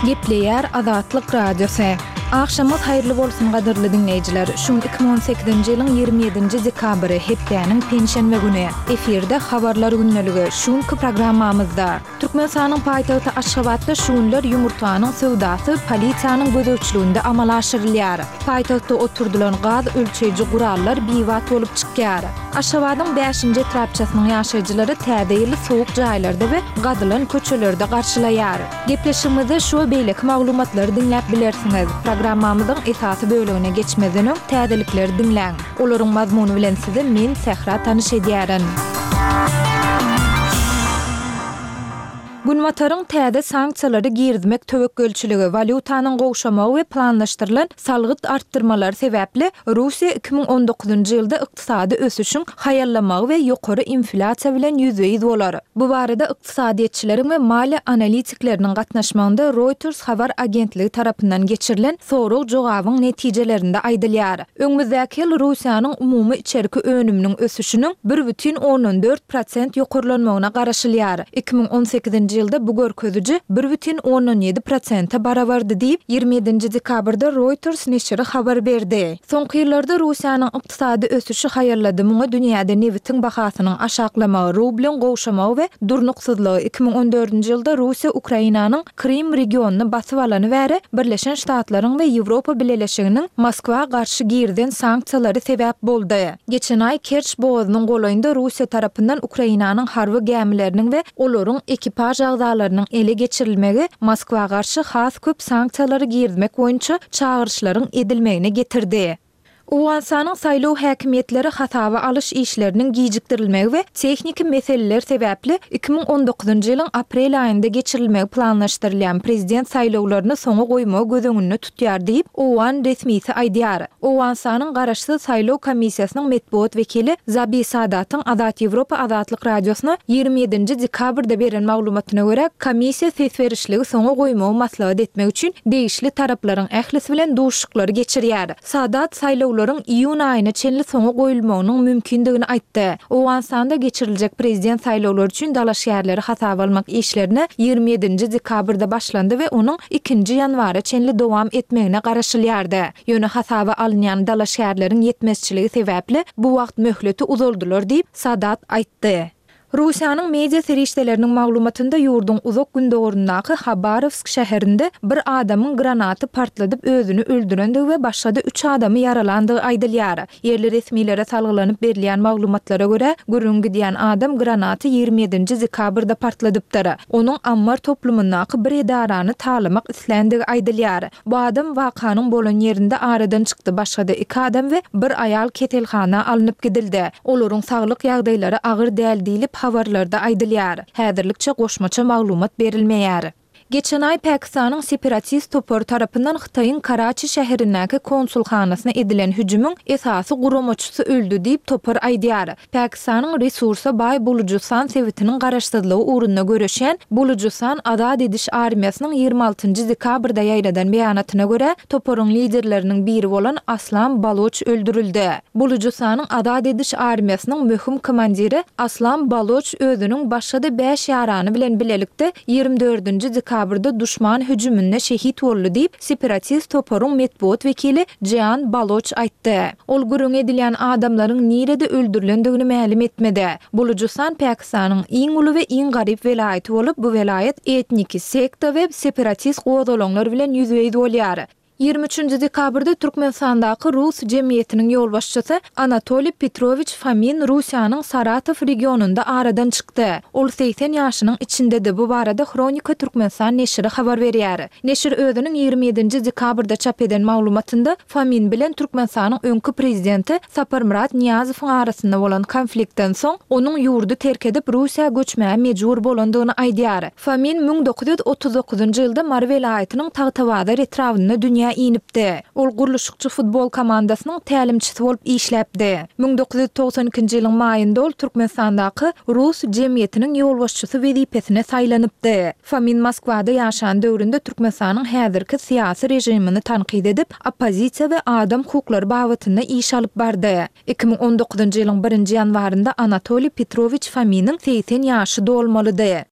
Gepleýär Azatlyk Radiosy. Agşamyňyz haýyrly bolsun gadyrly diňleýjiler. Şu gün 2018-nji ýylyň 27-nji dekabry, hepdäniň penşenbe güni. Efirde Habarlar gündeligi. Şu günki programmamyzda. Türkmenistanyň paýtagty Aşgabatda şu günler ýumurtganyň söwdasy polisiýanyň gözegçiliginde amala aşyrylýar. Paýtagtda oturdylan gaz ölçeýji gurallar bibat bolup çykýar. Aşgabadyň bäşinji etrapçasynyň ýaşaýjylary Täze ýyly sowuk jaýlarda we gazylan köçelerde garşylaýar. Gepleşigimizde şu we beýleki maglumatlary diňläp bilersiňiz. Programmamyzyň esasy bölegine geçmezden öň täzelikleri diňläň. Olaryň mazmuny bilen sizi men, Sähra tanyş edýärin. Günbataryň täze sanksiýalary girizmek töwekgelçiligi, walýutanyň gowşamagy we planlaşdyrylan salgyt artdyrmalary sebäpli Russiýa 2019-njy ýylda ykdysady ösüşiň haýallamagy we ýokary inflýasiýa bilen ýüzbe-ýüz bolar. Bu barada ykdysadyýetçileriň we maliýe analitikleriniň gatnaşmagynda Reuters habar agentligi tarapyndan geçirilen sorag-jogabyň netijelerinde aýdylýar. Öňümizdäki ýyl Russiýanyň umumy içerki önüminiň ösüşiniň 1,4 prosent ýokarlanmagyna garaşylýar. 2018-nji ýylda bu görkeziji 1,7 prosente barabardy diýip, 27-nji dekabrda Reuters neşiri habar berdi. Soňky ýyllarda Russiýanyň ykdysady ösüşi haýallady, muňa dünýäde nebitiň bahasynyň aşaklamagy, rublyň gowşamagy we durnuksyzlygy, 2014-nji ýylda Russiýa Ukrainanyň Krym regionyny basyp alany bäri Birleşen Ştatlaryň we Ýewropa Bileleşiginiň Moskwa garşy girizen sanksiýalary sebäp boldy. Geçen aý Kerç bogazynyň golaýynda Russiýa tarapyndan Ukrainanyň harby gämileriniň we olaryň ekipaž agzalarynyň ele geçirilmegi Moskwa garşy has köp sanksiýalary girizmek boýunça çagyryşlaryň edilmegine getirdi. Owganystanyň saýlaw häkimiýetleri hasaba alyş işleriniň gijikdirilmegi we tehniki meseleler sebäpli 2019-njy ýylyň aprel aýynda geçirilmegi planlaşdyrylýan prezident saýlawlaryny soňa goýmagy göz öňünde tutýar diýip, owgan resmisi aýdýar. Owganystanyň garaşsyz saýlaw komissiýasynyň metbugat wekili Zabi Sadatyň Azat Ýewropa Azatlyk Radiosyna 27-nji dekabrda beren maglumatyna görä, komissiýa ses berişligi soňa goýmagy maslahat etmek üçin degişli taraplaryň ählisi bilen duşuşyklary geçirýär. Sadat saýlawlaryň iýun aýyna çenli soňa goýulmagynyň mümkindigini aýtdy. Owganystanda geçiriljek prezident saýlawlary üçin dalaşgärleri hasaba almak işlerine 27-nji dekabrda başlandy we onuň ikinji ýanwara çenli dowam etmegine garaşylýardy. Ýöne hasaba alynýan dalaşgärleriň ýetmezçiligi sebäpli bu wagt möhleti uzaldylar diýip, Sadat aýtdy. Russiýanyň media serişdeleriniň maglumatynda ýurduň uzak gündogaryndaky Habarowsk şäherinde bir adamyň granaty partladyp özüni öldürendigi we başga-da üç adamy ýaralandygy aýdylýar. Ýerli resmilere salgylanyp berilýän maglumatlara görä, gürrüň gidýän adam granaty 27-nji dekabrda partladypdyr. Onuň ammar toplumyndaky bir edarany talamak isländigi aýdylýar. Bu adam wakanyň bolan ýerinde aradan çykdy, başga-da iki adam we bir aýal keselhana alnyp gidildi. Olaryň saglyk ýagdaýlary agyr däl diýlip, habarlarda aýdylýar. Häzirlikçe goşmaça maglumat berilmeýär. Geçen aý Pakistanyň separatist topary tarapyndan Hytaýyň Karaçi şäherindäki konsulhanasyna edilen hüjümiň esasy guramaçysy öldi diýip, topar aýdýar. Pakistanyň resursa baý Bulujystan sebitiniň garaşsyzlygy ugrunda göreşýän Bulujystan azat ediş armiýasynyň 26-njy dekabrda ýaýradan beýanatyna görä, toparyň liderleriniň biri bolan Aslam Baloç öldürildi. Bulujystanyň azat ediş armiýasynyň möhüm komandiri Aslam Baloç özüniň başga-da bäş ýarany bilen bilelikde 24-nji dekabrda duşman hüjüminde şehit boldy diýip, separatist toparyň metbugat wekili Jean Baloç aýtdy. Ol gürrüňi edilýän adamlaryň nirede öldürilendigini mälim etmedi. Bulujystan Pakistanyň iň uly we iň garyp welaýaty bolup, bu welaýat etniki, sekta we separatist gozgalaňlar bilen ýüzbe-ýüz bolýar. 23-nji dekabrda Türkmenistandaky rus jemgyýetiniň ýolbaşçysy Anatoliý Petrowiç Fomin Russiýanyň Saratow regionynda aradan çykdy. Ol 80 ýaşynyň içindedi. Bu barada Hronika Türkmenistan neşiri habar berýär. Neşir özüniň 27-nji dekabrda çap eden maglumatynda Fomin bilen Türkmenistanyň öňki prezidenti Saparmyrat Nyýazowyň arasynda bolan konfliktden soň, onuň ýurdy terk edip, Russiýa göçmäge mejbur bolandygyny aýdýar. Fomin 1939-njy ýylda Mary welaýatynyň Tagtabazar etrabynda dünýä inipdi. Ol gurluşykçy futbol komandasynyň tälimçisi bolup işläpdi. 1992-nji ýylyň maýynda ol Türkmenistandaky rus jemgyýetiniň ýolbaşçysy wezipesine saýlanypdy. Fomin Moskwada ýaşan döwründe Türkmenistanyň häzirki syýasy režimini tankyt edip, oppozisiýa we adam hukuklary babatynda iş alyp bardy. 2019-njy ýylyň birinji ýanwarynda Anatoliý Petrowiç Fominiň 80 ýaşy dolmalydy.